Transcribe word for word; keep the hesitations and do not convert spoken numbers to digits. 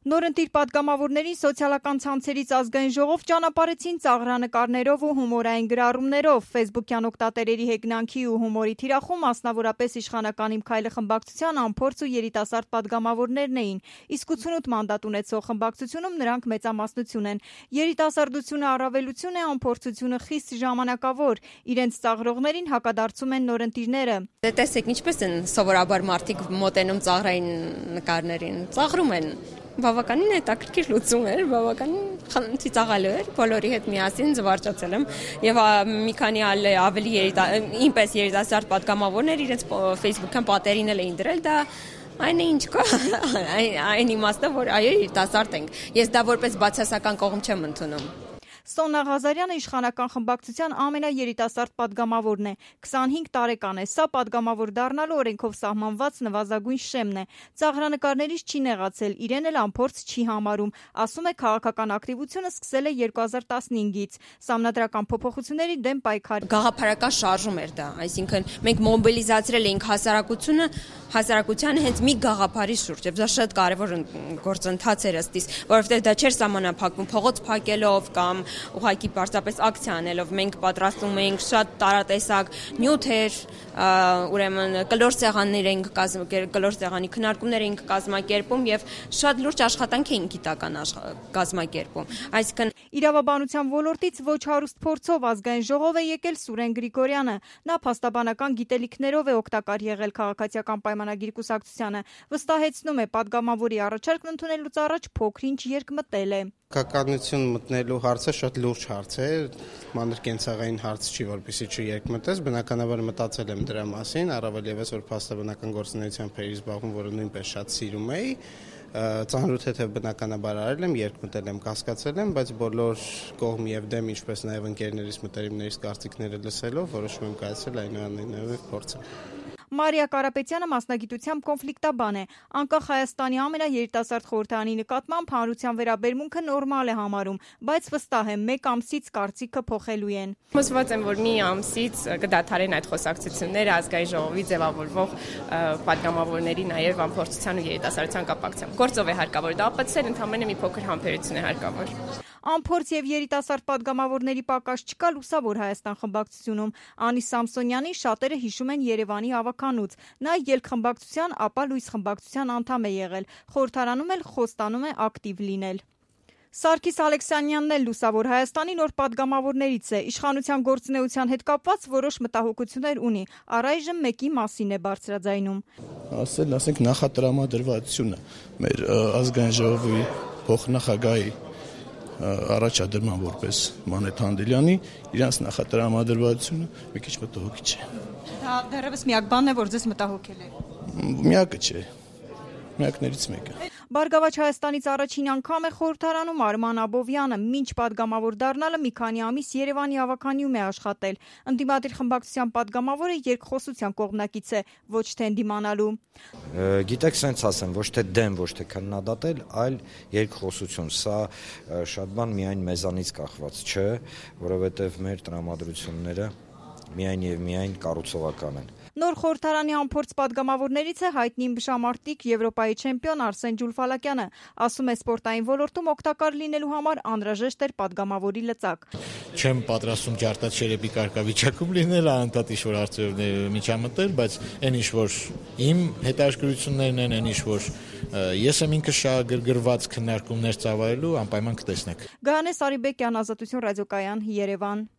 Նորընտիր պատգամավորներին սոցիալական ցանցերից ազգային ժողով ճանապարհեցին ծաղրանկարներով ու հումորային գրառումներով։ Ֆեյսբուքյան օգտատերերի հեգնանքի ու հումորի թիրախում մասնավորապես իշխանական «Իմ քայլը» խմբակցության անփորձ ու երիտասարդ պատգամավորներն էին, իսկ ութսունութ մանդատ ունեցող խմբակցությունում նրանք մեծամասնություն են։ Երիտասարդությունը առավելություն է, անփորձությունը խիստ ժամանակավոր։ Իրենց ծաղրողներին հակադարձում են նորընտիրները։ Դե տեսեք, ինչպես են սովորաբար մարդիկ մոտենում ծաղրային նկարներին, ծաղրում են։ Բավականին հետաքրքիր լուծում էր, բավականին ծիծաղալու էր, բոլորի հետ միասին զվարճացել եմ եւ մի քանի ավելի ինպես երիտասարդ պատգամավորներ իրենց Facebook-յան պատերին էլ էին դրել, դա այն է ինչ կա, այն իմաստը, որ այո, երիտասարդ ենք։ Ես դա որպես բացասական կողմ չեմ ընդունում։ Սոնա Ղազարյանը իշխանական խմբակցության ամենաերիտասարդ պատգամավորն է, քսանհինգ տարեկան է, սա պատգամավոր դառնալու օրենքով սահմանված նվազագույն շեմն է։ Ծաղրանկարներից չի նեղացել, իրեն էլ անփորձ չի համարում, ասում է քաղաքական ակտիվությունը սկսել է երկու հազար տասնհինգից, սահմանադրական փոփոխությունների դեմ պայքար։ Գաղափարական շարժում էր դա, այսինքն մենք մոբիլիզացրել էինք հասարակությունը, հասարակությանը հենց մի գաղափարի շուրջ, եւ դա շատ կարեւոր գործընթաց էր ըստիս, որովհետեւ դա չէր սահմանափակվում փողոց փակելով կամ ուղղակի պարզապես ակցիա անելով։ Մենք պատրաստում էինք շատ տարատեսակ նյութեր, ուրեմն կլոր սեղաններ էինք կլոր սեղանի քննարկումներ էինք կազմակերպում եւ շատ լուրջ աշխատանք էինք գիտական կազմակերպում։ Այսինքն իրավաբանության ոլորտից ոչ հարուստ փորձով ազգային ժողով է եկել Սուրեն Գրիգորյանը։ Նա փաստաբանական գիտելիքներով է օգտակար եղել քաղաքացիական պայմանագիր կուսակցությանը։ Վստահեցնում է, պատգամավորի առաջարկն ընդունելուց առաջ փոքր-ինչ երկմտել է։ Քաղաքականություն մտնելու հարցը շատ լուրջ հարց է, մանր կենցաղային հարց չի, որպեսզի չերկմտես, բնականաբար մտածել եմ դրա մասին, առավել ևս որ փաստաբանական գործունեությամբ էի զբաղվում, որը նույնպես շատ սիրում էի, ծանրութ հետև բնականաբար արել եմ, երկմտել եմ, կասկածել եմ, բայց բոլոր կողմ եւ դեմ, ինչպես նաեւ ընկերներից մտերիմներից կարծիքները լսելով, որոշում եմ կայացրել այնուամենայնիվ փորձը։ Մարիա Կարապետյանը մասնագիտությամբ կոնֆլիկտաբան է, անկախ Հայաստանի ամենաերիտասարդ խորհրդարանի նկատմամբ հանրության վերաբերմունքը նորմալ է համարում, բայց վստահ է մեկ ամսից կարծիքը փոխելու են։ Հուսված եմ, որ մի ամսից կդադարեն այդ խոսակցությունները ազգային ժողովի ձևավորվող պատգամավորների նաև անփորձության ու երիտասարդության կապակցությամբ։ Գործով է հարկավոր դա ապացուցել, ընդհանրապես մի փոքր համբերություն է հարկավոր։ Անփորձ եւ երիտասարդ պատգամավորների պակաս չկա Լուսավոր Հայաստան խմբակցությունում։ Անի Սամսոնյանի շատերը հիշում են Երևանի ավականուց։ Նա ելք խմբակցության, ապա Լույս խմբակցության անդամ է եղել։ Խորհրդարանում էլ խոստանում է ակտիվ լինել։ Սարգիս Ալեքսանյանն էլ Լուսավոր Հայաստանի նոր պատգամավորներից է։ Իշխանության գործունեության հետ կապված որոշ մտահոգություններ ունի։ Առայժմ մեկի մասին է բարձրաձայնում։ Ասել, ասենք նախատրամադրվածությունը մեր ազգային ժողովի փոխնախագահի առաջադրման որպես Մանեթ Հանդելյանի իրանց նախատրամադրվածությունը մի քիչ մտահոգիչ է։ Դա դեռևս միակ բանն է, որ ձեզ մտահոգել է։ Միակը չէ։ Միակներից մեկը։ Բարգավաճ Հայաստանից առաջին անգամ է խորհրդարանում Արման Աբովյանը, մինչ պատգամավոր դառնալը մի քանի ամիս Երևանի ավականիում է աշխատել։ Ընդդիմադիր խմբակցության պատգամավորը երկխոսության կողմնակից է, ոչ թե ընդդիմանալու։ Գիտեք, սենց ասեմ, ոչ թե դեմ, ոչ թե քննադատել, այլ երկխոսություն։ Սա շատ բան միայն մեզանից կախված չէ, որովհետև մեր տրամադրությունները միայն եւ միայն կառուցողական են։ Նոր խորհրդարանի անփորձ պատգամավորներից է հայտնի ըմբշամարտիկ Եվրոպայի չեմպիոն Արսեն Ջուլֆալակյանը, ասում է սպորտային ոլորտում օգտակար լինելու համար անհրաժեշտ էր պատգամավորի լծակ։ Չեմ պատրաստում ջարդաչերեպի կարգավիճակում լինել, անընդհատ ինչ-որ հարցերով միջամտել, բայց այն ինչ-որ իմ հետաքրքրություններն են, այն ինչ-որ ես եմ ինքս շահագրգռված քննարկումներ ծավալելու, անպայման կտեսնեք։ Գայանե Սարիբեկյան, Ազատություն ռադիոկայան, Երևան։